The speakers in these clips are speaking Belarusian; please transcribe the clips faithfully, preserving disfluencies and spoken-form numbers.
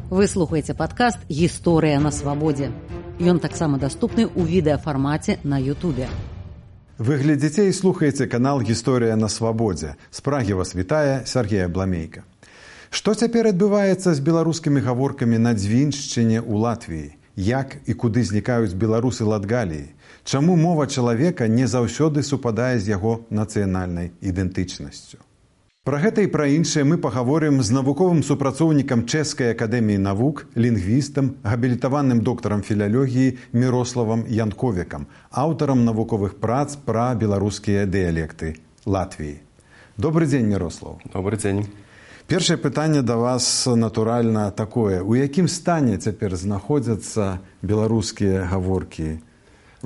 Вы слухаеце падкаст «Гісторыя на свабодзе». Ён таксама даступны ў відэафармаце на Ютубе. Вы глядзіце і слухаеце канал «Гісторыя на свабодзе». З Прагі вас вітае Сергей Абламейка. Што цяпер адбываецца з беларускімі гаворкамі на Дзвіншчыне ў Латвіі? Як і куды знікаюць беларусы Латгаліі? Чаму мова чалавека не заўсёды супадае з яго нацыянальнай ідэнтычнасцю? Пра гэта і пра іншае мы пагаворым з навуковым супрацоўнікам Чэшскай акадэміі навук, лінгвістам, габілітаваным доктарам філалогіі Мірославам Янковікам, аўтарам навуковых прац пра беларускія дыялекты Латвіі. Добры дзень, Мірослав. Добры дзень. Першае пытанне да вас, натуральна, такое. У якім стане цяпер знаходзяцца беларускія гаворкі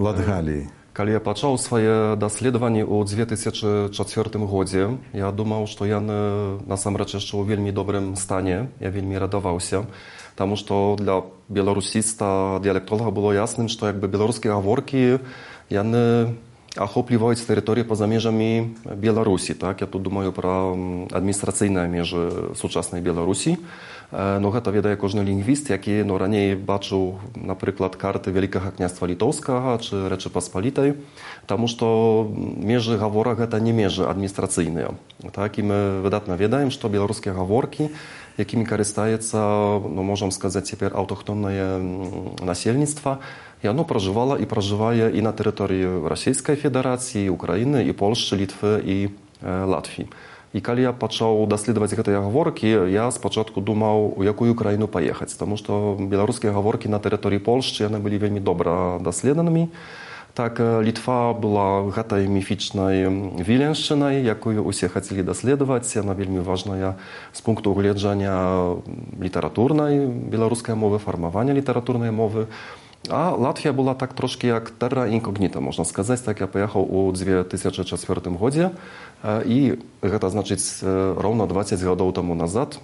Латгаліі? Калі я пачаў свае даследаванні ў дзве тысячы чацвёртым годзе, я думаў, што яны насамрэч яшчэ ў вельмі добрым стане. Я вельмі радаваўся, таму што для беларусіста, дыялектолага было ясным, што якби беларускія гаворкі яны ахопліваюць тэрыторыі па-за межамі Беларусі. Так? Я тут думаю пра адміністрацыйныя межы сучаснай Беларусі. Но гэта ведае кожны лінгвіст, які ну, раней бачыў, напрыклад, карты Вялікага княства Літоўскага ці Рэчы Паспалітай, таму што межы гаворак гэта не межы адміністрацыйныя. Так? І мы выдатна ведаем, што беларускія гаворкі, якімі карыстаецца, ну, можам сказаць, цяпер аўтахтоннае насельніцтва, яно пражывала і пражывае і на тэрыторыі Расійскай Федэрацыі, Украіны, і Польшчы, Літвы і э, Латвіі. І калі я пачаў даследаваць гэтыя гаворкі, я спачатку думаў, у якую краіну паехаць, таму што беларускія гаворкі на тэрыторыі Польшчы яны былі вельмі добра даследанымі. Так, Літва была гэтай міфічнай Віленшчынай, якую усе хацелі даследаваць. Яна вельмі важная з пункту гледжання літаратурнай беларускай мовы, фармавання літаратурнай мовы. А Латвія была так трошки як терра інкогніта, можна сказаць. Так, я паехаў у дзве тысячы чацвёртым годзе, і гэта значыць роўна дваццаць гадоў таму назад.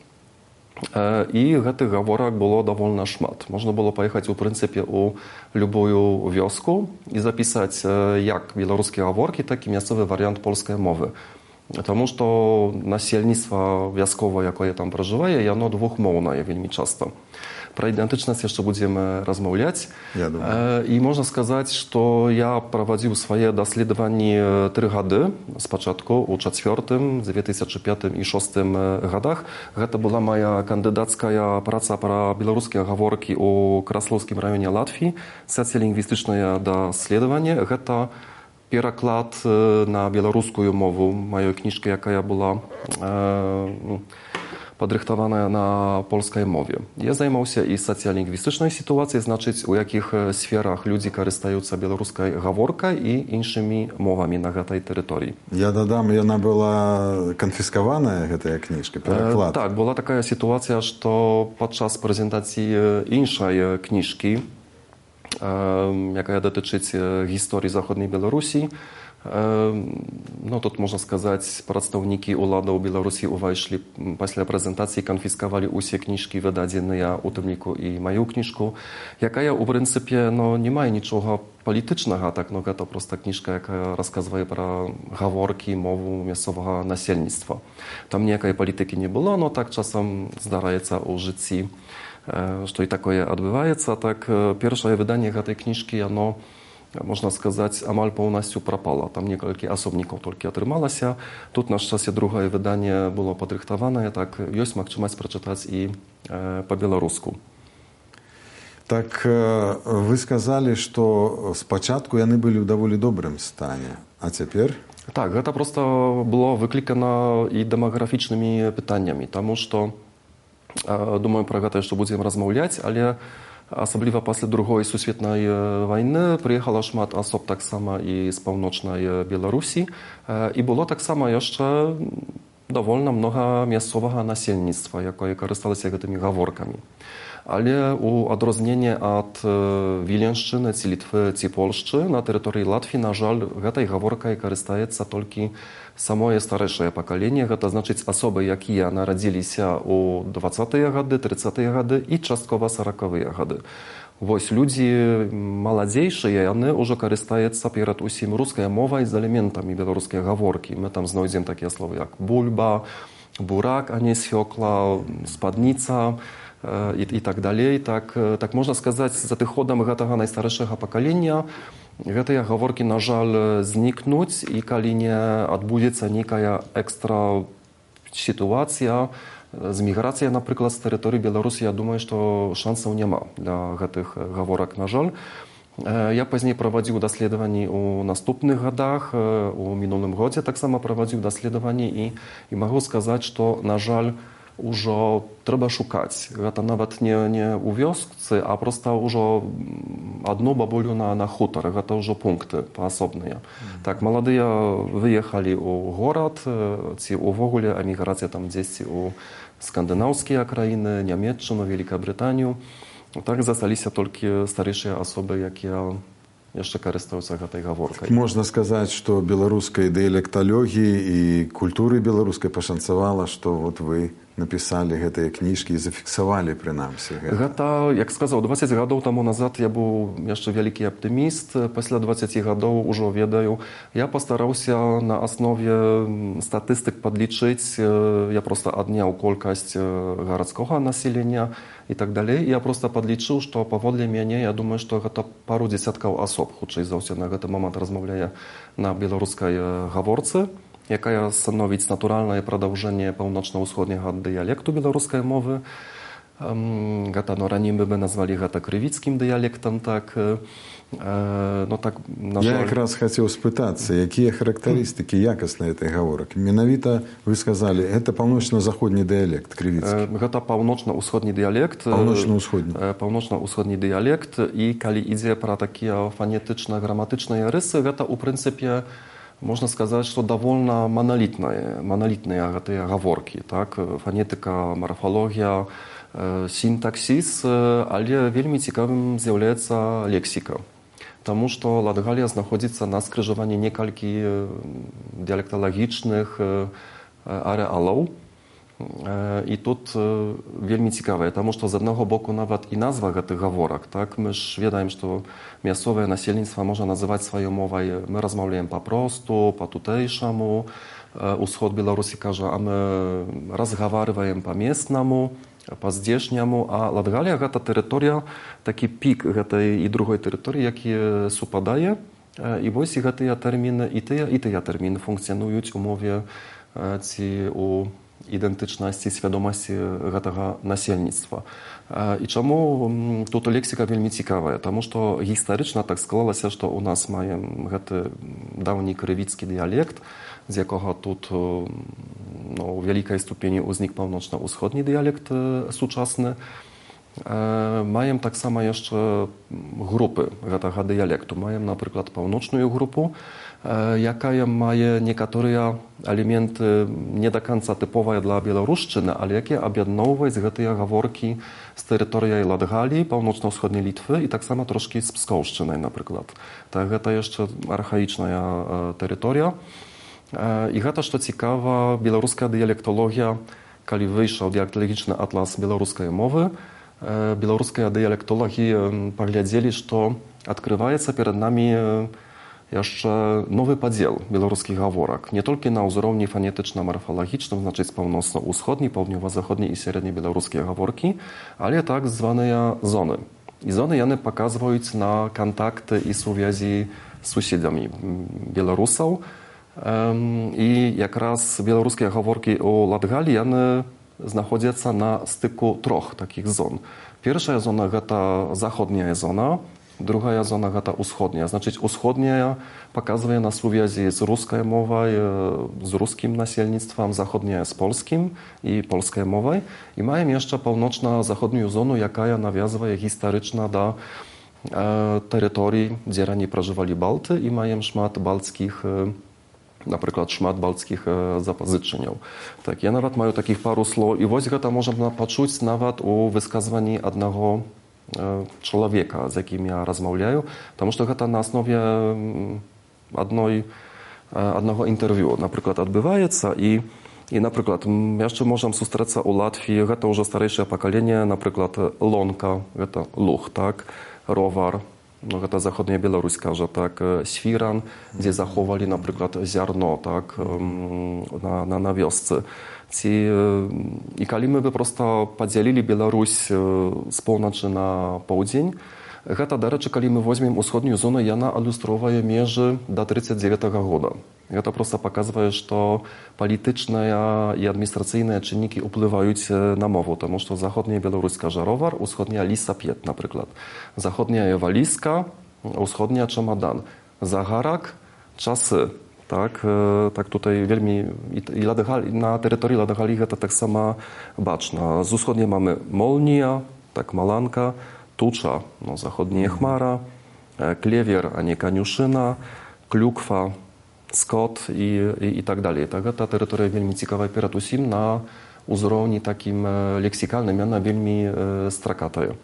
І гэтых гаворак было даволі шмат. Можна было паехаць у прынцыпе у любую вёску і запісаць як беларускія гаворкі, так і мясцовы варыянт польскай мовы. Таму што насельніцтва вясковае, якое там пражывае, яно двухмоўнае вельмі часта. Пра ідэнтычнасць яшчэ будзем размаўляць. Я думаю. І можна сказаць, што я правадзіў свае даследаванні тры гады, спачатку ў чацвёртым, дзве тысячы пятым і шостым гадах. Гэта была моя кандыдацкая праца пра беларускія гаворкі ў Краслоўскім раёне Латвіі, сацыялінгвістычнае даследаванне. Гэта пераклад на беларускую мову маёй кніжкі, якая была э, падрыхтаваная на польскай мове. Я займаўся і сацыялінгвістычнай сітуацыяй, значыць, у якіх сферах людзі карыстаюцца беларускай гаворкай і іншымі мовамі на гэтай тэрыторыі. Я дадам, яна была канфіскаваная, гэтая кніжка, пераклад. Э, так, была такая сітуацыя, што падчас прэзентацыі іншай кніжкі, э, якая датычыць гісторыі заходняй Беларусі, ну, тут, можна сказаць, прадстаўнікі ўладаў Беларусі ўвайшлі пасля прэзентацыі, канфіскавалі ўсе кніжкі, выдадзеныя ў тым ліку і маю кніжку, якая, у прынцыпе, ну, не мае нічога палітычнага, так, ну, гэта проста кніжка, якая расказвае пра гаворкі, мову мясцовага насельніцтва. Там ніякай палітыкі не было, но так часам здараецца ў жыцці, што і такое адбываецца. Так, першае выданне гэтай кніжкі, яно, можна сказаць, амаль поўнасцю прапала. Там некалькі асобнікаў толькі атрымалася. Тут на шчасце другое выданне было падрыхтаванае, так ёсць магчымасць прачытаць і э, па-беларуску. Так, вы сказалі, што спачатку яны былі ў даволі добрым стане, а цяпер? Так, гэта проста было выклікана і дэмаграфічнымі пытаннямі, таму што, э, думаю, пра гэта яшчэ будзем размаўляць, але асабліва пасля другой сусветнай вайны прыехала шмат асоб таксама і з паўночнай Беларусі, і было таксама яшчэ давольна многа мясцовага насельніцтва, якое карысталася гэтымі гаворкамі. Але у адрозненне ад Віленшчыны ці Літвы ці Польшчы на тэрыторыі Латвіі, на жаль, гэтай гаворкай карыстаецца толькі самое старэйшае пакаленне, гэта значыць асобы, якія нарадзіліся ў дваццатыя гады, трыццатыя гады і часткова саракавыя гады. Вось людзі маладзейшыя, яны ўжо карыстаюцца перад усім рускай мовай з элементамі беларускай гаворкі. Мы там знойдзем такія словы, як бульба, бурак, а не свёкла, спадніца, i, i tak dalej. Tak, tak można сказать, z adchodem tego najstarszego pokolenia te gaworki na żal zniknąć i kiedy nie odbędzie się jakaś ekstra sytuacja, z migracja na przykład z terytorium Białorusi, ja думаю, że szansów nie ma dla tych gaworek na żal. Ja później prowadził doświadczenie u następnych latach, u minionym roku tak samo prowadził doświadczenie i, i mogę сказать, że na żal już trzeba szukać. To nawet nie, nie u wioscy, a prosto już jedną babuliu na, na hutor. To już punkty poosobne. Mm. Tak, młodzi wyjechali u город, ci w ogóle emigracja tam gdzieś u skandynawskie krainy, Niemiecję, Wielką Brytanię. Tak zostali się tylko starsze osoby, jak ja jeszcze korzystają z tej gaworki. Można сказать, что белорусской диалектологии и культуры белорусской пошанцевало, что вот вы написали гэтыя кніжкі і зафіксавалі прынамсі гэта. Гэта, як сказаў, дваццаць гадоў таму назад я быў яшчэ вялікі аптыміст. Пасля дваццаці гадоў ужо ведаю. Я пастараўся на аснове статыстык падлічыць. Я проста адняў колькасць гарадскога насельення і так далей. Я проста падлічыў, што паводле мяне, я думаю, што гэта пару дзесяткаў асоб, хутчэй за ўсё, на гэты момант размаўляе на беларускай гаворцы, якая становіць натуральнае прадаўжэнне паўночна-ўсходняга дыялекту беларускай мовы. Гэта, no, раней мы бы назвалі гэта крывіцкім дыялектам, так. No, так, на Я жаль... якраз хацеў спытацца, якія характарыстыкі якасныя этой гаворак. Менавіта вы сказалі, гэта паўночна-заходні дыялект крывіцкі. Гэта паўночна-ўсходні дыялект. Паўночна-ўсходні. Паўночна-ўсходні дыялект. І калі ідзе пра такія фанетычна-граматычныя рысы, гэта, у прынцыпе, можно сказать, что довольно монолитные, монолитные гэтыя гаворкі, так? Фонетика, морфология, э, синтаксис, э, але вельмі цікавым з'яўляецца лексика. Тому что Латгалія знаходзіцца на скрыжаванні некалькі дыялекталагічных э, арэалаў. I тут вельмі цікавае, таму што з аднаго боку нават і назва гэтых гаворак, так, мы ж ведаем, што мясцовае насельніцтва можа называць сваёй мовай, мы размаўляем папросту, па-тутэйшаму, усход Беларусі кажа, а мы разгаварваем па-местнаму, па-здзешняму, а Латгалія гэта тэрыторыя, такі пік гэтай і другой тэрыторыі, які супадае, і вось і гэтыя тэрміны, і тыя, і тыя тэрміны функцыянуюць у мове ці у identyczności, świadomości tego nasielnictwa. I czemu tu leksyka wielmi ciekawa? Потому что historycznie tak skladało się, że u nas mamy ten dawny krywicki dialekt, z jakiego тут no, w wielkiej stopni uznik północno-wschodni dialekt współczesny. Mają tak samo jeszcze grupy tego dialektu. Mają na przykład północną grupę, jaka ma niektóre elementy nie do końca typowe dla Białoruszczyny, ale jakie objednować z tej gaworki z terytorium Latgalii, północno-wschodniej Litwy i tak samo troszkę z Pskowszczyny na przykład. Tak, to jeszcze archaiczna terytoria. I to, co ciekawe, białoruska dialektologia, kiedy wyszedł dialektologiczny atlas białoruskiej mowy, białoruska dialektologia poglądali, że odkrywaється przed nami jeszcze nowy podział białoruskich gaworek. Nie tylko na uzorowni fonetyczno-morfologicznym, znaczy północno-wschodniej, południowo-zachodniej i średniej białoruskie gaworki, ale tak zwane zony. I zony one pokazują na kontakty i związki z sąsiadami Białorusów. I jak raz białoruskie gaworki u Latgalii one znajdują się na styku troch takich zon. Pierwsza zona to zachodnia zona, druga zona to wschodnia. Znaczy wschodnia pokazuje na związki z ruską mową, z ruskim nasielnictwem, zachodnia z polskim i polskiej mową. I mają jeszcze północno-zachodnią zonę, jaka nawiązuje historycznie do e, terytorii, gdzie rannie przeżywali Balty i mają szmat balckich, na przykład szmat balckich zapożyczeń. Tak, ja nawet mają takich paru słów i właśnie to można poczuć nawet u wykazywaniu jednego człowieka, z jakim ja rozmawiam, потому что to na osnowie jednej, jednego interwiu na przykład odbywaється i I na przykład jeszcze możemy spotkać u Latvii, to już starsze pokolenie, na przykład lonka, to luch, tak, rowar, no гэта заходняя Беларусь кажа, так, Свіран, дзе заховалі, напрыклад, зярно, так, на, на, на вёсцы. Ці, і калі мы бы проста падзялілі Беларусь з поўначы на поўдзень, гэта, дарэчы, калі мы возьмем усходнюю зону, яна адлюстроўвае межы да тридцать девятого года. Гэта проста паказвае, што палітычныя і адміністрацыйныя чыннікі ўплываюць на мову, таму што заходняя Беларусь кажа ровар, усходняя лісап'ет, напрыклад. Заходняя валізка, усходняя чамадан. Загарак, часы. Так, так tutaj wielmi i Ladegali, na terytorii Ladegali гэта таксама бачна. З усходняй mamy молния, так, маланка, туча, no, zachodnia chmara, klewier, a nie kaniuszyna, klukwa, skot i, i, i tak dalej. Tak, ta terytoria wielmi ciekawa перад усім на узроўні такім лексікальным, яна вельмі стракатая.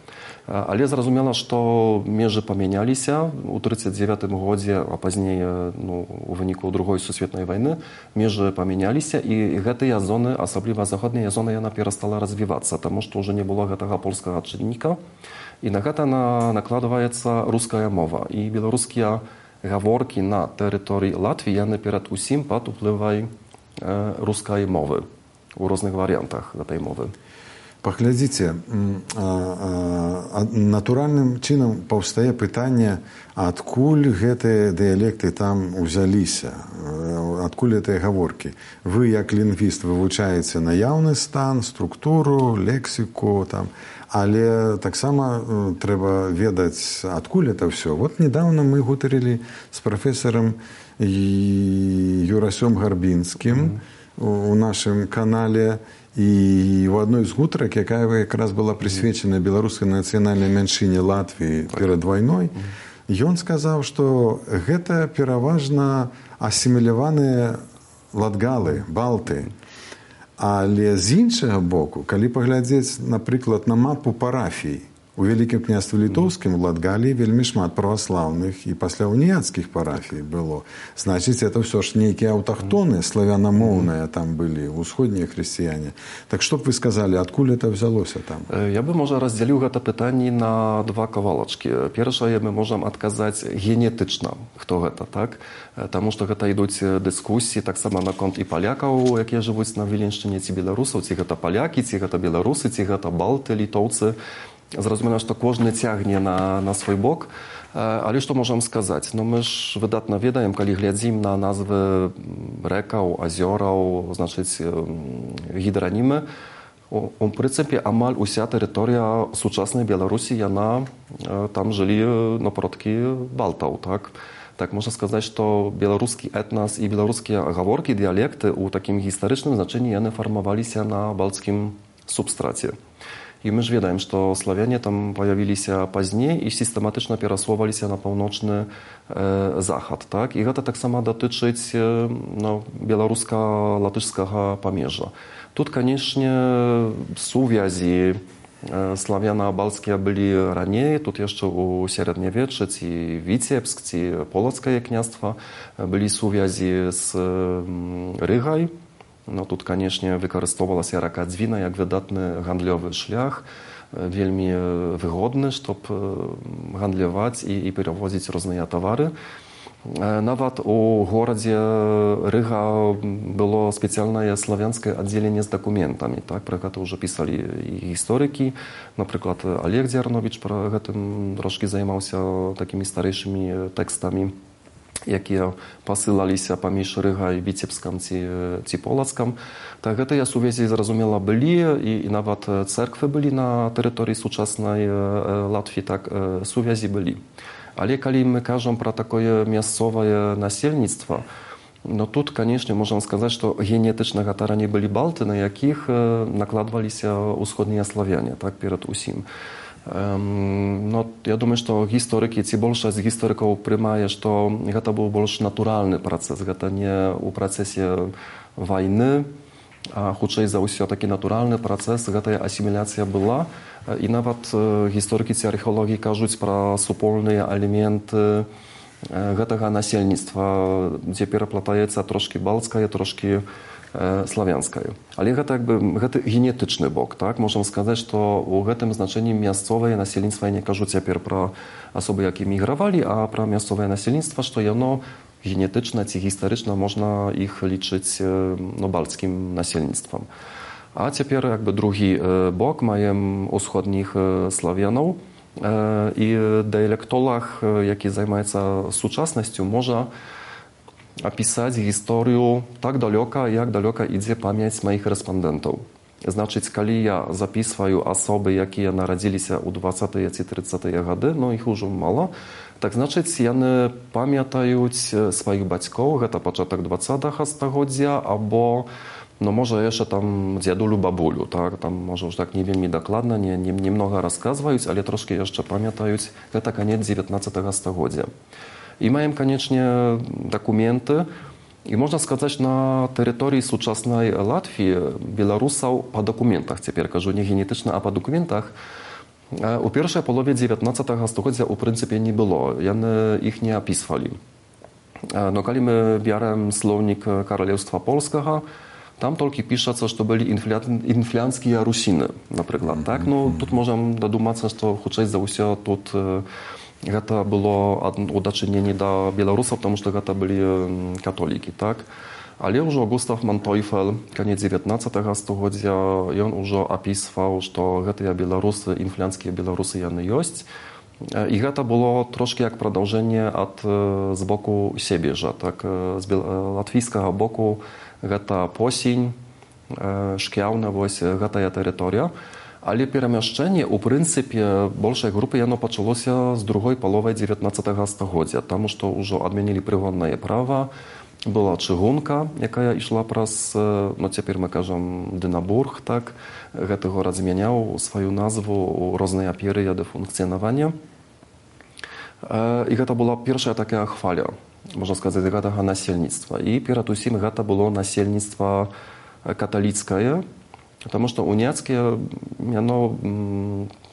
Але зразумела, што межы памяняліся ў тридцать девятым годзе, а пазней, ну, у выніку другой сусветнай вайны, межы памяняліся, і гэтыя зоны, асабліва заходняя зона, яна перастала развівацца, таму што ўжо не было гэтага польскага чынніка, і на гэта накладваецца руская мова. І беларускія гаворкі на тэрыторыі Латвіі, яны перад усім пад уплывай рускай мовы у розных варыянтах гэтай мовы. Паглядзіце, натуральным чынам паўстае пытанне, адкуль гэтыя дыялекты там узяліся, адкуль гэтыя гаворкі. Вы, як лінгвіст, вывучаеце наяўны стан, структуру, лексіку, там, але таксама трэба ведаць, адкуль это ўсё. Вот недавно мы гутарылі з прафесарам Юрасём Гарбінскім у нашым канале, і ў адной з гутарак, якая якраз была прысвечана беларускай нацыянальнай меншыне Латвіі перад вайной, ён сказаў, што гэта пераважна асіміляваныя латгалы, балты. Але з іншага боку, калі паглядзець, напрыклад, на мапу парафій, у Вялікім княстве Літоўскім, у Латгаліі вельмі шмат праваслаўных і пасля уніяцкіх парафій было. Значыць, это ўсё ж нейкія аўтахтоны, славянамоўныя там былі, усходнія хрысціяне. Так што б вы сказалі, адкуль это взялося там? Я бы, можа, раздзяліў гэта пытанне на два кавалачкі. Першае, мы можам адказаць генетычна, хто гэта, так? Таму што гэта ідуць дыскусіі таксама наконт і палякаў, якія жывуць на Віленшчыне, ці беларусаў, ці гэта палякі, ці гэта беларусы, ці гэта балты, літоўцы. Зразумела, што кожны цягне на, на свой бок. Але што можам сказаць? Ну, мы ж выдатна ведаем, калі глядзім на назвы рэкаў, азёраў, значыць, гідранімы, у прынцыпе, амаль уся тэрыторыя сучаснай Беларусі, яна, там жылі напроткі балтаў, так? Так, можна сказаць, што беларускі этнас і беларускія гаворкі, дыялекты ў такім гістарычным значэнні яны фармаваліся на балцкім субстраце. І мы ж ведаем, што славяне там паявіліся пазней і сістэматычна перасоўваліся на паўночны э, захад. Так? І гэта таксама датычыць э, ну, беларуска-латышскага памежжа. Тут, канешне, сувязі э, славяна-балцкія былі раней, тут яшчэ ў сярэднявеччы, ці Віцебск, ці Полацкае княства былі сувязі з э, Рыгай. No, тут, канешне, выкарыстоўвалася рака Дзвіна як выдатны гандлёвы шлях, вельмі выгодны, чтоб гандляваць і, і перавозіць розныя тавары. Нават у горадзе Рыга было спецыяльнае славянскае аддзяленне з дакументамі. Так? Пра гэта ўжо пісалі і гісторыкі. Напрыклад, Олег Дзярновіч пра гэтым трошкі займаўся такімі старэйшымі тэкстамі, якія пасылаліся паміж Рыгай, Віцебскам ці, ці Полацкам. Так гэтыя сувязі, зразумела, былі, і, і нават цэрквы былі на тэрыторыі сучаснай Латвіі, так, сувязі былі. Але калі мы кажам пра такое мясцовае насельніцтва, no тут, канешне, можам сказаць, што генетычна гэта раней былі балты, на якіх накладваліся ўсходнія славяне, так, перад усім. No, ja думаю, што гісторыкі, ці большасць гісторыкаў прымае, што гэта быў больш натуральны працэс, гэта не ў працэсе вайны, а хутчэй за ўсё такі натуральны працэс, гэтая асіміляцыя была. І нават гісторыкі ці археолагі кажуць пра супольныя элементы гэтага насельніцтва, дзе пераплатаецца трошкі балцкае, трошкі славянская. Але гэта як бы гэта генетычны бок, так? Можам сказаць, што ў гэтым значэнні мясцовае насельніцтва, я не кажу цяпер пра асобы, які мігравалі, а пра мясцовае насельніцтва, што яно генетычна ці гістарычна можна іх лічыць ну, бальцкім насельніцтвам. А цяпер як бы другі бок маем усходніх славянаў, і дыялектолог, які займаецца сучаснасцю, можа апісаць гісторыю так далёка, як далёка ідзе памяць маіх рэспандэнтаў. Значыць, калі я запісваю асобы, якія нарадзіліся ў дваццатыя ці трыццатыя гады, ну іх ужо мала, так значыць, яны памятаюць сваіх бацькоў, гэта пачатак дваццатага стагоддзя, або no może jeszcze tam dziadulu, babulu, tak? Tam może już tak nie wiem dokładnie, nie, nie, nie mnogo rozkazując, ale troszkę jeszcze pamiętając, że to koniec dziewiętnastego stulecia. I mają koniecznie dokumenty i można сказать, na terytorii współczesnej Łatwii Białorusów po dokumentach, teraz кажу nie genetycznie, a po dokumentach, u pierwszej połowie dziewiętnastego stulecia w pryncypie nie było, one ich nie opisywali. No kiedy my bierzemy słownik Królestwa Polskiego, tam tylko pisze, że byli inflanckie Rusiny, na przykład, tak? No, тут możemy dodumać, że chociaż za wszystko тут to było udaczynienie do Białorusów, потому что to byli katoliki, tak? Ale już Gustav Manteuffel, koniec dziewiętnastego stulecia, on już opisywał, że te Białorusy, inflanckie Białorusy, one jest. I to było troszkę jak продолжение od z boku siebie, że tak, z łatwijskiego boku to Posiń, Szkiałna, właśnie ta terytoria. Ale перемещение, в принципе, большей группы, оно началось с другой половины dziewiętnastego stulecia, потому что уже отменили пригонное право, была чыгунка, якая шла праз, ну теперь мы кажем, Динабург, так, этот город изменял свою назву, разные периоды функционирования. И это была первая такая хваля, можно сказать, этого насельництва. И перед усім это было насельництво католицкое, потому что уняцкие, оно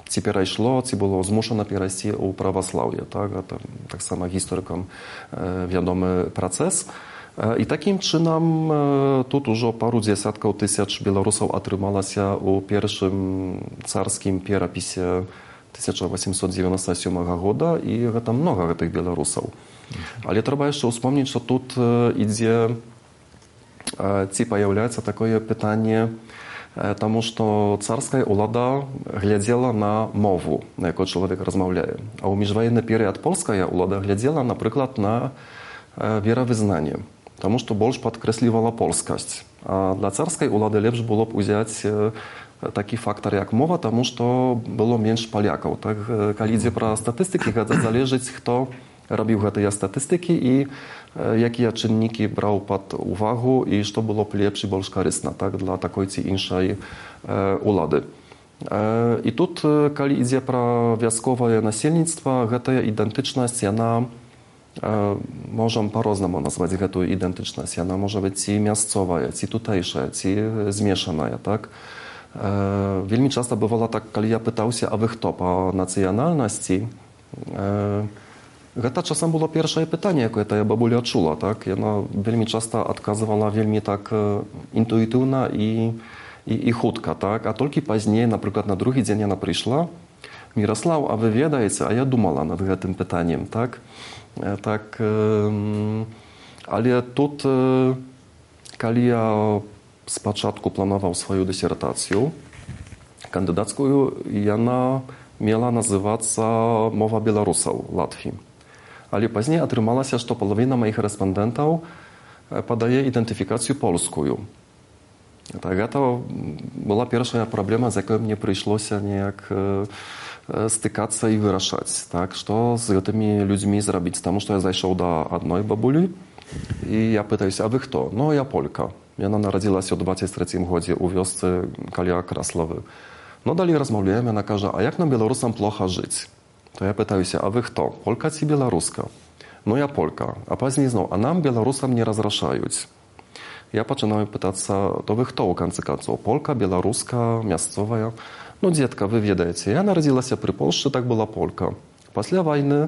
теперь перешло, це было змушено перейти у православие, так, это так само историкам wiadomy процесс. I takim czynem тут уже пару десятков тысяч белорусов отрымалось у pierwszym carskim переписи tysiąc osiemset dziewięćdziesiątego siódmego года, i это много tych Białorusów. Ale trzeba jeszcze wspomnieć, że tu idzie, ci появляется такое pytanie, потому что царская улада глядела на мову, на яку чоловік розмовляє. А у міжвоєнний період польська улада глядела, наприклад, на віровизнання, тому що більш підкреслювала польськість. А для царської улади ліпше було б взяти такий фактор, як мова, тому що було менш поляків. Так, коли йде про статистики, це залежить, хто робив ці статистики і jakie czynniki brał pod uwagę i co było lepsze i bardziej korzystne, tak, dla takiej czy innej ulady. I tu, kiedy idzie про wioskowe насельництво, ta identyczność, ona możemy po-różnemu nazwać tę identyczność. Ona może być i miejscowa, i tutejsza, i zmieszana, tak. Wielmi często bywało tak, kiedy ja pytał się, a wy kto po nacjonalności, to czasem było pierwsze pytanie, jakie ta babulia czula, tak? Ona bardzo często odkazywała bardzo tak intuitywna i, i, i chudka, tak? A tylko później, na przykład na drugi dzień ona przyszła, Mirosław, a wy wiecie, a ja dumała nad tym pytaniem, tak? Tak, ale tu, kiedy ja z początku planował swoją dysertację kandydacką, ona miała nazywać się Mowa Białorusów Łatwii. Ale później otrzymało się, że połowa moich respondentów podaje identyfikację polską. Tak, to była pierwsza problema, z jaką mnie przyszło się niejak stykać i wyrażać, tak, co z tymi ludźmi zrobić, потому что я zajrzał do jednej babuli i ja pytam się, a wy kto? No, ja Polka. Ona narodziła się w dwudziestym trzecim roku u wiosce koło Kraslowy. No dalej rozmawiamy, ona każe, a jak nam Białorusom plocha żyć? To ja pytam się, a wy kto? Polka czy Białoruska? No ja Polka. A później znowu, a nam Białorusom nie rozraszają. Ja zaczynam pytać się, to wy kto u końca końców? Polka, Białoruska, miejscowa? No dzietka, wy wiecie, ja narodziła się przy Polsce, tak była Polka. После wojny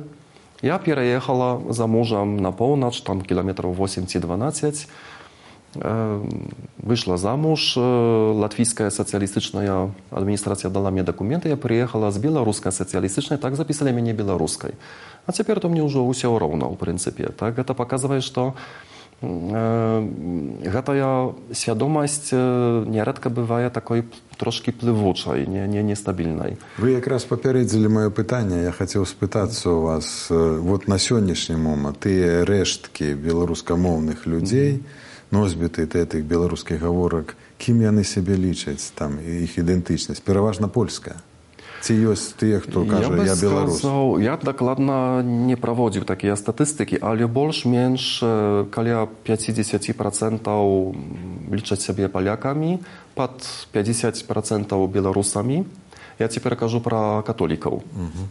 ja переехала za mężem na północ, tam kilometrów osiem czy dwanaście. Вышла замуж, латвийская социалистичная администрация дала мне документы, я приехала с белорусской социалистичной, так записали меня белорусской. А теперь то мне уже все равно, в принципе. Так, это показывает, что гэтая свядомасць нярэдка бывае такой трошки плывучай, не, не, нестабільнай. Вы якраз папярэдзілі маё пытанне. Я хацеў спытацца у вас вот на сённяшні момант тыя рэшткі беларускамоўных людзей, носьбіты гэтых беларускіх гаворак, кім яны сябе лічаць, там іх ідэнтычнасць, пераважна польская. Ці ёсць тыя, хто кажа, я, я беларус? Сказал, я дакладна не праводзіў такія статыстыкі, але больш-менш каля пятьдесят процентов лічаць сябе палякамі, пад пятьдесят процентов беларусамі. Я цяпер кажу пра католікаў. Угу.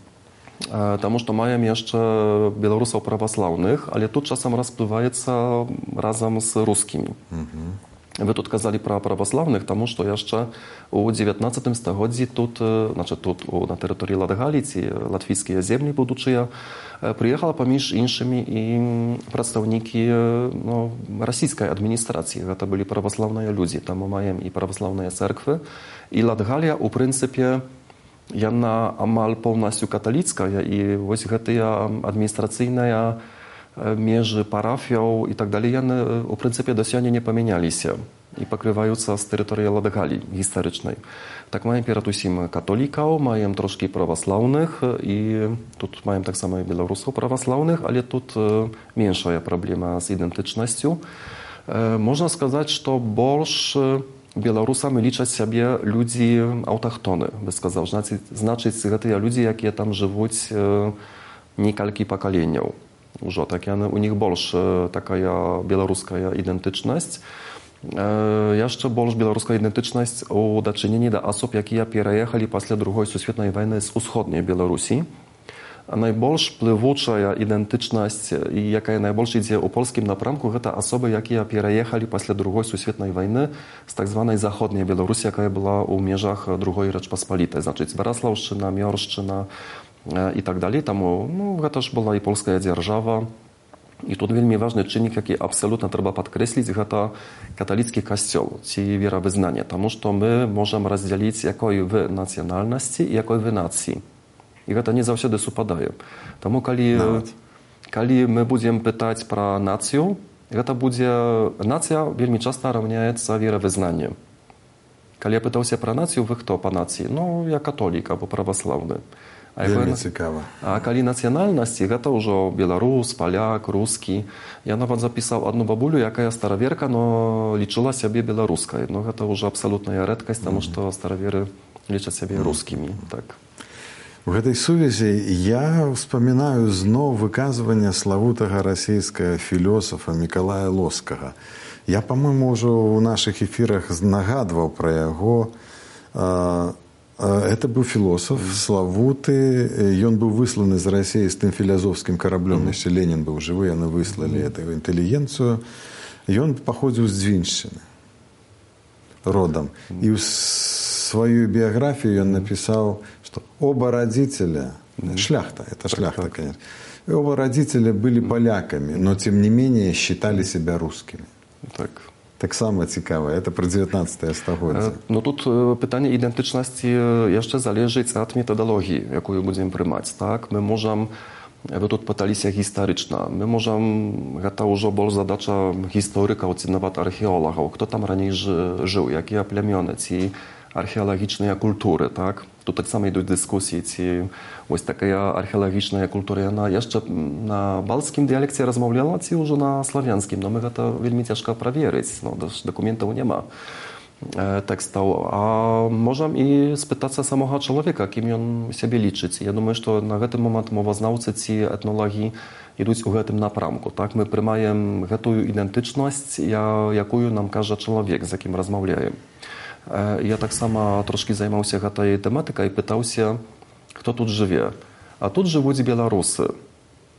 Таму што маем яшчэ беларусаў праваслаўных, але тут часам расплываецца разам з рускімі. Угу. Вы тут казалі пра праваслаўных, таму што яшчэ у дзевятнаццатым стагоддзі тут, значит, тут на тэрыторыі Латгаліі ці латвійскія землі будучыя, прыехала паміж іншымі і прадстаўнікі ну, расійскай адміністрацыі. Гэта былі праваслаўныя людзі. Там мы маем і праваслаўныя цэрквы. І Латгалія, у прынцыпе, яна амаль поўнасцю каталіцкая, і вось гэтыя адміністрацыйныя межы парафіяў і так далей, яны, у прынцыпе, да сёння не памяняліся і пакрываюцца з тэрыторыі Латгаліі гістарычнай. Так маем перад усім католікаў, маем трошкі праваслаўных і тут маем таксама і беларусаў праваслаўных, але тут меншая праблема з ідэнтычнасцю. Можна сказаць, што больш беларусамі лічаць сябе людзі аўтахтоны, бы сказаў. Значыць, значыць гэтыя людзі, якія там жывуць некалькі пакаленняў. Ужо так яны, у них больш такая беларуская ідэнтычнасць. Яшчэ больш беларуская ідэнтычнасць у дачыненні да асоб, якія пераехалі пасля другой сусветнай вайны з усходняй Беларусі. Найбольш плывучая ідэнтычнасць, і якая найбольш ідзе ў польскім напрамку, гэта асобы, якія пераехалі пасля другой сусветнай вайны з так званай заходняй Беларусі, якая была ў межах другой Рэчпаспалітай. Значыць, Бараслаўшчына, Мёршчына, і так далей. Таму ну, гэта ж была і польская дзяржава. І тут вельмі важны чыннік, які абсалютна трэба падкрэсліць, гэта каталіцкі касцёл ці веравызнанне. Таму што мы можам раздзяліць, якой вы нацыянальнасці і якой вы нацыі. І гэта не заўсёды супадае. Таму калі, калі мы будзем пытаць пра нацыю, гэта будзе... Нацыя вельмі часта раўняецца веравызнанню. Калі я пытаўся пра нацыю, вы хто па нацыі? Ну, я католік або праваслаўны. А, Вельмі цікава. А калі нацыянальнасці, гэта ўжо беларус, паляк, рускі. Я нават запісаў адну бабулю, якая стараверка, но лічыла сябе беларускай. Но гэта ўжо абсалютная рэдкасць, таму што стараверы лічаць сябе рускімі. Так. У гэтай сувязі я ўспамінаю зноў выказванне славутага расійскага філёсафа Мікалая Лоскага. Я, па-мойму, ўжо ў нашых эфірах нагадваў пра яго. Это быў філосаф, славуты. Ён быў высланы з Расіі з тым філязофскім караблём. Яшчэ Ленін быў жывы, яны выслалі эту інтэлігенцыю. Ён паходзіў з Дзвіншчыны родам. І ў сваю біяграфію ён напісаў, што оба родителя, шляхта, это шляхта, конечно, оба родителя были поляками, но тем не менее считали себя русскими. Так. Так само цікава, это про дзевятнаццатае стагоддзе. Ну тут пытанне ідэнтычнасці яшчэ залежыць ад метадалогіі, якую будзем прымаць. Так, мы можам, вы тут пыталіся гістарычна, мы можам, гэта ўжо больш задача гісторыкаў ці нават археолагаў, хто там раней жыў, якія плямёны, ці археалагічныя культуры, так? Тут таксама ідуць дыскусіі, ці ось такая археалагічная культура, яна яшчэ на балцкім дыялекце размаўляла, ці ўжо на славянскім, но мы гэта вельмі цяжка праверыць, ну, дакументаў няма э, тэкстаў. А можам і спытацца самога чалавека, кім ён сябе лічыць. Я думаю, што на гэты момант мовазнаўцы ці этнолагі ідуць у гэтым напрамку. Так, мы прымаем гэтую ідэнтычнасць, якую нам кажа чалавек, з якім размаўляем. Я таксама трошкі займаўся гэтай тэматыкай і пытаўся, хто тут жыве. А тут жывуць беларусы.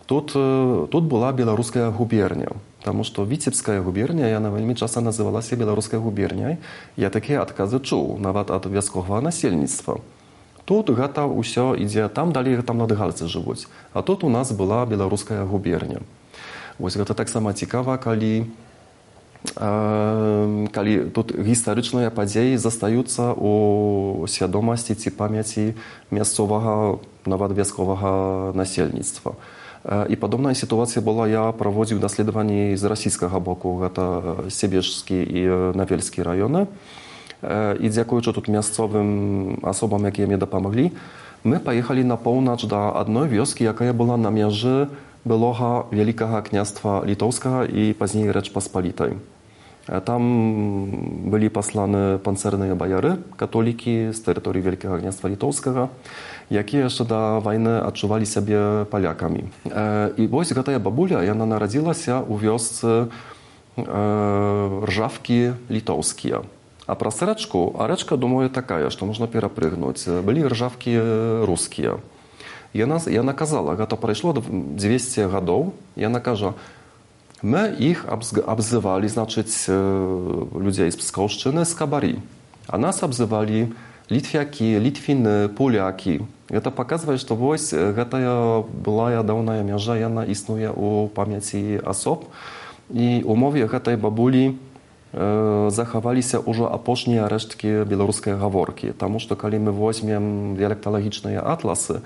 Тут, тут была беларуская губерня, таму што Віцебская губерня, яна вельмі часта называлася беларускай губерняй. Я такія адказы чуў, нават ад вясковага насельніцтва. Тут гэта ўсё ідзе, там далей там латгальцы жывуць. А тут у нас была беларуская губерня. Вось гэта таксама цікава, калі Калі тут гістарычныя падзеі застаюцца ў свядомасці ці памяці мясцовага, нават вясковага насельніцтва. І падобная сітуацыя была, я праводзіў даследаванні з расійскага боку, гэта Себежскі і Навельскі раёны. І дзякуючы тут мясцовым асобам, якія мне дапамаглі, мы паехалі на поўнач да адной вёскі, якая была на мяжы былога Вялікага княства Літоўскага і пазней Рэчпаспалітай. Там былі пасланы панцэрныя баяры, католікі з тэрыторыі Вялікага княства Літоўскага, якія яшчэ да вайны адчувалі сябе палякамі. І вось гэтая бабуля, яна нарадзілася ў вёсцы Ржавкі літоўскія. А праз рэчку, а рэчка, думаю, такая, што можна перапрыгнуць. Былі ржавкі рускія. Яна, яна казала, гэта прайшло дзвесце гадоў, яна кажа, my ich обзывали, значить, людей з Пскаўшчыны скабари. А нас обзывали літвяки, літвіны, поляки. Это показывает, что вось гэтая былая даўная мяжа, яна існуе ў памяці асоб. І ў мове гэтай бабулі э, захаваліся ўжо апошнія рэшткі беларускай гаворкі. Таму што калі мы возьмем дыялекталагічныя атласы,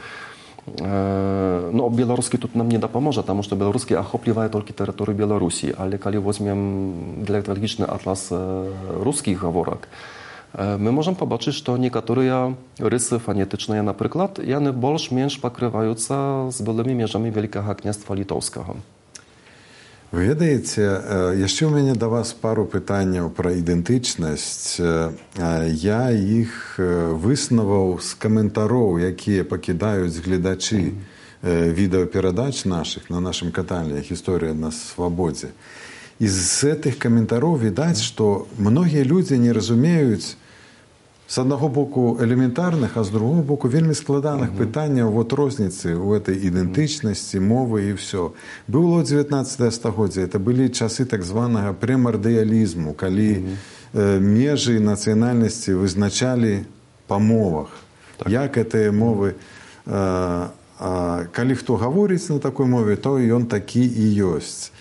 no, беларускі тут нам не дапаможа, таму што беларускі ахоплівае толькі тэрыторыю Беларусі, але калі возьмем дыялекталагічны атлас рускіх гаворак, мы можам пабачыць, што некаторыя рысы фанетычныя, напрыклад, яны больш-менш пакрываюцца з былымі межамі Вялікага княства Літоўскага. Вы ведаеце, яшчэ ў мяне да вас пару пытанняў пра ідэнтычнасць. Я іх выснаваў з каментароў, якія пакідаюць гледачы відэаперадач нашых на нашым канале «Гісторыя на свабодзе». І з гэтых каментароў відаць, што многія людзі не разумеюць з аднаго боку элементарных, а з другого боку вельмі складаных uh-huh. пытанняў вот розніцы ў этой ідэнтычнасці, мовы і ўсё. Было дзевятнаццатае стагоддзе, это былі часы так званага прэмардыялізму, калі uh-huh. э, межы нацыянальнасці вызначалі па мовах. Так. Як гэтыя мовы, э, э, калі хто гаворыць на такой мове, то ён такі і ёсць.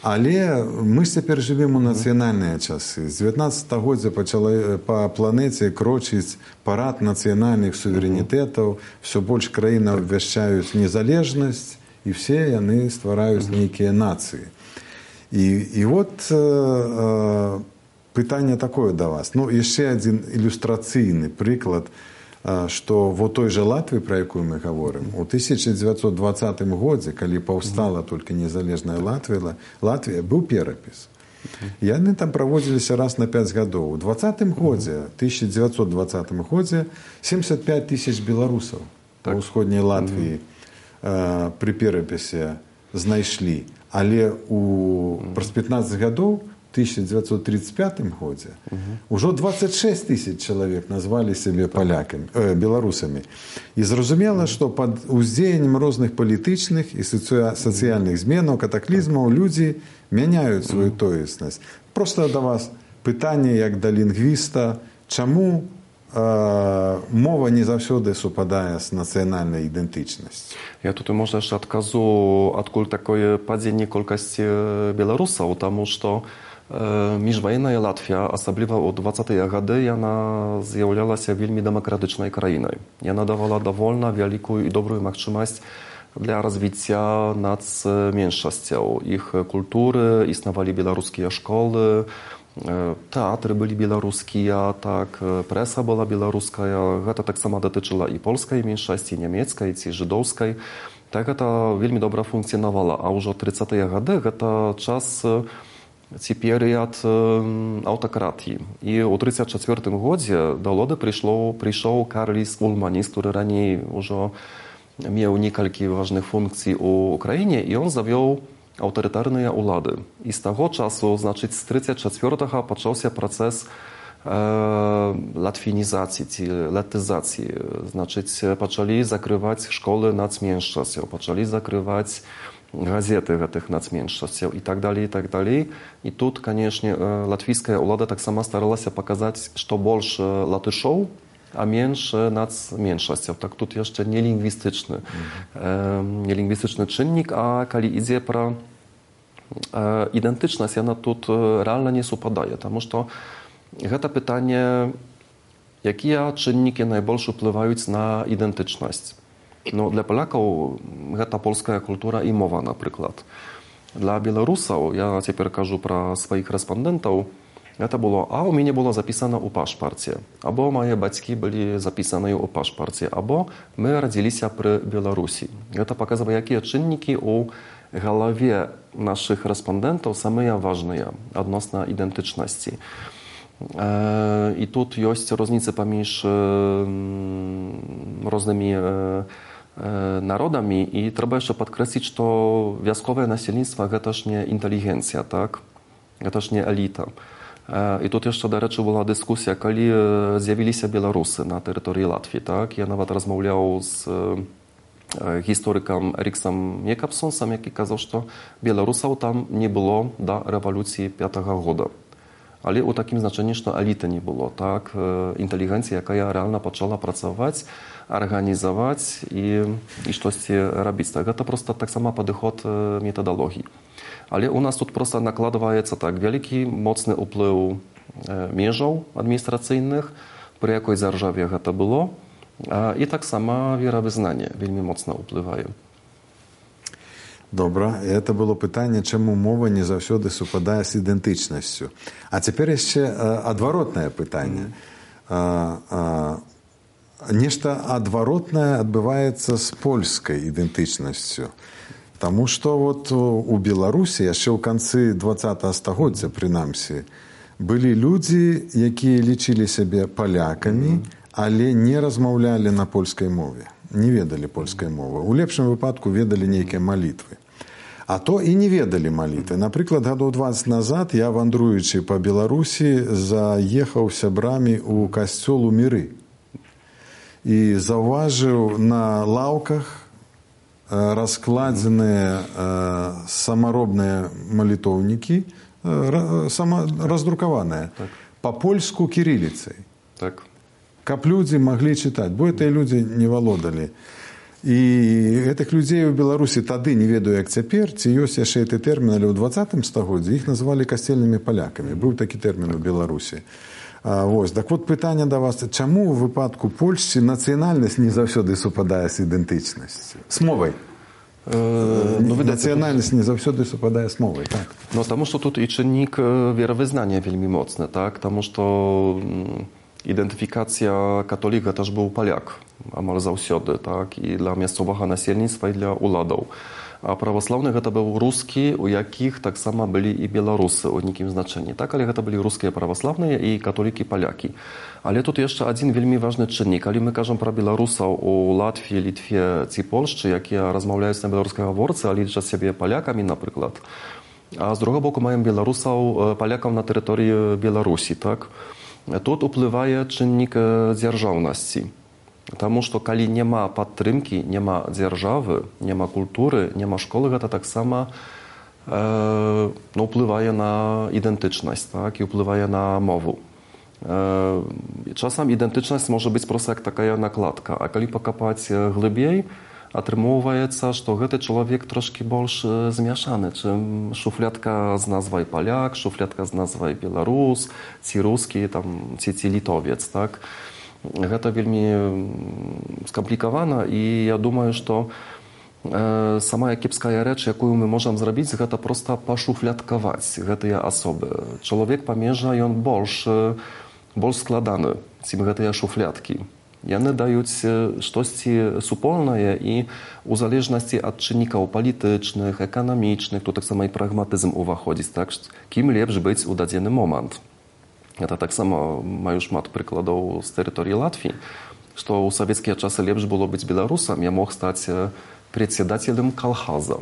Але мы цяпер жывем у нацыянальныя часы. З дзевятнаццатага стагоддзя пачала па планеце крочыць парад нацыянальных суверэнітэтаў, все больш краін абвяшчаюць незалежнасць, і все яны ствараюць нейкія нацыі. І, і вот э, э, пытанне такое да вас. Ну, яшчэ адзін ілюстрацыйны прыклад, што во той жа Латвіі, пра якую мы гаворым, у тысяча дзевяцьсот дваццатым годзе, калі паўстала толькі незалежная Латвія, Латвія, быў перапіс. Яны там праводзіліся раз на пяць гадоў. У дваццатым годзе, тысяча дзевяцьсот дваццатым годзе, семьдесят пять тысяч беларусаў так. у ўсходняй Латвіі э, пры перапісе знайшлі. Але у праз пятнаццаць гадоў, тысяча дзевяцьсот тридцать пятым годзе, uh-huh. ужо двадцать шесть тысяч чалавек назвалі сябе палякамі, э, беларусамі. І зразумела, што пад уздзеяннем розных палітычных і сацыяльных зменаў, катаклізмаў людзі мяняюць сваю тоеснасць. Проста да вас пытанне, як да лінгвіста, чаму э, мова не заўсёды супадае з нацыянальнай ідэнтычнасцю? Ja tutaj może jeszcze odkazu, odkąd takie падзенне колькасці беларусаў, таму што міжваенная Латвія, асабліва ў дваццатыя гады, яна з'яўлялася вельмі дэмакратычнай краінай. Яна давала давольна вялікую і добрую магчымасць для развіцця нацменшасцяў. Іх культуры, існавалі беларускія школы, тэатры былі беларускія, так, прэса была беларуская. Гэта таксама датычыла і польскай меншасці, нямецкай ці жыдоўскай. Так гэта вельмі добра функцыянавала. А ўжо трыццатыя гады гэта час ці перыяд аўтакратіі. І ў трыццаць чацвёртым годзе да ўлады прыйшоў Карліс Улманіс, który раней ўжо меў некалькі важных функцый у краіне, і ён завёў аўтарытарныя ўлады. І з таго часу, значыць, з трыццаць чацвёртага пачаўся працэс э, латвінізацыі ці латызацыі. Значыць, пачалі закрываць школы нацменшасцяў, пачалі закрываць газеты гэтых нацменшасцяў і так далей, і так далей. І тут, канешне, латвійская ўлада таксама старалася паказаць, што больш латышоў, а менш нацменшасцяў. Так тут яшчэ не лінгвістычны, mm-hmm. э, не лінгвістычны чыннік, а калі ідзе пра Identyczność, ona тут realnie nie supadaje, потому что это pytanie, jakie czynniki najbardziej wpływają na identyczność. No, dla Polaków to polska kultura i mowa na przykład. Dla Białorusów, ja teraz кажу про swoich respondentów, to było, a u mnie było zapisane u paszporcie, albo moje батьки byli zapisane u paszporcie, albo my rodziliśmy przy Białorusi. To pokazuje, jakie czynniki u głowie naszych respondentów są ważne odnośnie identyczności. I tu jest różnica pomiędzy różnymi narodami i trzeba jeszcze podkreślić, że wioskowe nasilnictwo to też nie inteligencja, tak? To też nie elita. I tu jeszcze do rzeczy była dyskusja, kiedy zjawili się Białorusy na terytorium Łatwii, tak? Ja nawet rozmawiał z historykiem Eriksem Jekabsonsem, jaki kazał, że Białorusów tam nie było do rewolucji piątego roku. Ale u takim znaczeniu, że elity nie było, tak? Inteligencja, jaka realnie zaczęła pracować, organizować i, i coś robić. Tak? To po prostu tak samo podchód metodologii. Ale u nas tu просто накладывается tak wielki, mocny wpływ mierzów administracyjnych, przy jakiej zarżawie to było, i tak samo wierowyznanie veľmi mocno wpływają. Добре, це було питання, чому мова не завжди супадає з ідентичністю. А тепер ще адворотне питання. Mm. Нешта адворотне відбувається з польською ідентичністю. Тому що от у Білорусі, ще в кінці двадцятого стагоддя, принаймні, були люди, які лічили себе поляками, але не розмовляли на польській мові, не ведали польської мови. У лепшому випадку ведали некие молитви. А то і не ведали молитви. Наприклад, гадоў двадцять назад я, вандруючи по Білорусі, заїхав з сябрамі у касцёл у Міры. І заўважыў на лаўках раскладзеныя самаробныя малітоўнікі, раздрукаваныя, так. Па-польску кірыліцай. Так. Каб людзі маглі чытаць, бо гэтыя людзі не валодалі. І гэтых людзей у Беларусі тады, не ведаю як цяпер, ці ёсць яшчэ гэты тэрмін, але ў двадцатым стагоддзі іх называлі касцельнымі палякамі. Быў такі тэрмін у Беларусі. А, вось. Так вот пытанне да вас, чаму ў выпадку Польшчы нацыянальнасць не заўсёды супадае з ідэнтычнасцю? З мовай. Э, ну, нацыянальнасць не заўсёды супадае з мовай, так? Ну, таму што тут і чыннік веравызнання вельмі моцны, так? Таму што identyfikacja katolika też był Polak, amal zаўсёды, tak? I dla miejscowego nasielnictwa, i dla uladów. A prawosławnych to był ruski, u jakich tak samo byli i Białorusy, o nikim znaczeniu, tak? Ale to byli ruskie prawosławne i katoliki Polaki. Ale tu jeszcze jeden wielmi ważny czynnik. Ale my кажем про Białorusów u Łatwii, Litwie, czy Polsce, jakie rozmawiają na białoruskojговорcy, ale liczą siebie Polakami na przykład. A z drugiego boku mają Białorusów, Polaków na terytorium Białorusi, tak? Тут wpływa czynnik dzierżawności. Потому что, коли nie ma podtrzymki, nie ma dzierżawy, nie ma kultury, nie ma szkoły, to tak samo e, no, wpływa na identyczność, tak? I wpływa na mowę. E, czasem identyczność może być prosto jak taka nakładka, a kiedy pokopać głębiej, отрымоўваецца, што гэты чалавек трошкі больш змяшаны, чым шуфлядка з назвай паляк, шуфлядка з назвай беларус, ці рускі, там, ці, ці літовец. Так? Гэта вельмі скамплікавана, і я думаю, што э, самая кепская рэч, якую мы можам зрабіць, гэта проста пашуфлядкаваць гэтыя асобы. Чалавек памежа, ён больш, больш складаны, чым гэтыя шуфлядкі. Яны даюць штосьці супольнае і у залежнасці ад чыннікаў палітычных, эканамічных, тут таксама і прагматызм уваходзіць, так, кім лепш быць у дадзены момант. Я таксама маю шмат прыкладаў з тэрыторыі Латвіі, што ў савецкія часы лепш было быць беларусам, я мог стаць председателем калхаза.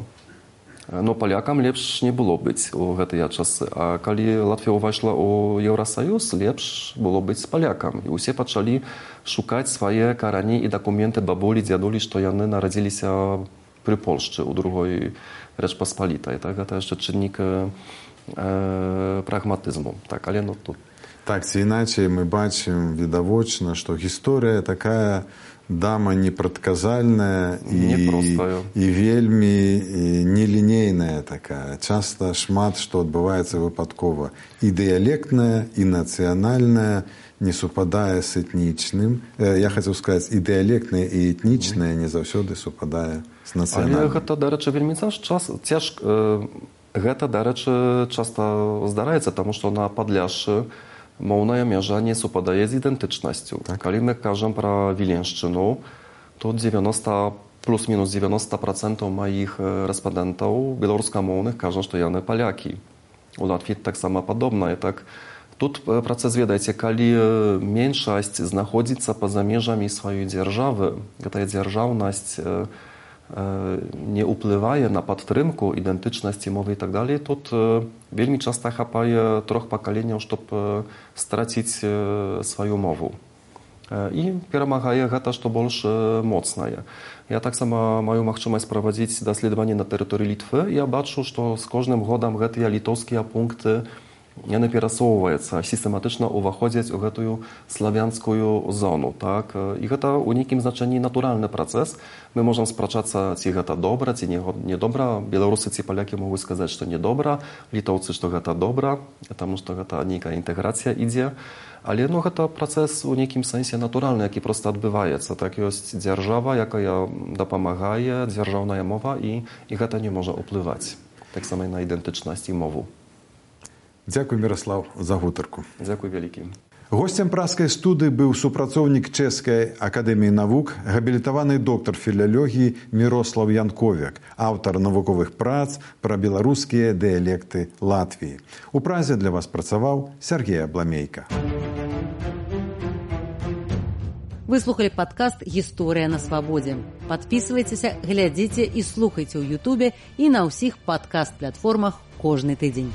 Но палякам лепш не было быць у гэтыя часы. А калі Латвія ўвайшла ў Еўрасаюз, лепш было быць палякам. І ўсе пачалі шукаць свае карані і дакументы бабулі, дзядулі, што яны нарадзіліся пры Польшчы ў другой Рэчпаспалітай. Так, гэта яшчэ чыннік э, прагматызму. Так, але ну, тут Так ці іначай мы бачым відавочна, што гісторыя такая дама непрадказальная і, і вельмі нелінейная такая. Часта шмат што адбываецца выпадкова. І дыялектная, і нацыянальная не супадае з этнічным. Я хацеў сказаць, і дыялектная, і этнічная не заўсёды супадае з нацыянальным. Але гэта, дарэчы, вельмі цяжка. Гэта, дарэчы, часта здараецца, таму што на Падляшшы моўная мяжа не супадае з ідэнтычнасцю. Так. Калі мы кажам пра Віленшчыну, то дзевяноста плюс-мінус дзевяноста процентаў маіх рэспандэнтаў беларускамоўных кажа, што яны палякі. У Латвіі таксама падобна. Так, тут працэс, ведаеце, калі меншасць знаходзіцца па-за межамі сваёй дзяржавы, гэтая дзяржаўнасць не ўплывае на падтрымку ідэнтычнасці мовы і так далей, тут вельмі часта хапае трох пакаленняў, щоб страціць сваю мову. І перамагае гэта, што больш моцнае. Я таксама маю магчымасць правадзіць даследаванні на тэрыторыі Літвы. Я бачу, што з кожным годам гэтыя літоўскія пункты яны перасоўваюцца, сістэматычна ўваходзяць у гэтую славянскую зону. Так? І гэта ў нейкім значэнні натуральны працэс. Мы можам спрачацца, ці гэта добра, ці не добра. Беларусы ці палякі могуць сказаць, што не добра, літоўцы, што гэта добра, таму што гэта нейкая інтэграцыя ідзе. Але ну, гэта працэс у нейкім сэнсе натуральны, які проста адбываецца. Так ёсць дзяржава, якая дапамагае, дзяржаўная мова, і, і гэта не можа ўплываць. Таксама і на ідэнтычнасць і мову. Дзякуй, Міраслаў, за гутарку. Дзякуй вялікі. Госцем праскай студыі быў супрацоўнік Чэшскай акадэміі навук, габілітаваны доктар філалогіі Мірослаў Янковяк, аўтар навуковых прац пра беларускія дыялекты Латвіі. У празе для вас працаваў Сергей Абламейка. Вы слухали падкаст «Гісторыя на свабодзе». Падпісвайцеся, глядзіце і слухайце ў Ютубе і на ўсіх падкаст-платформах кожны тыдзень.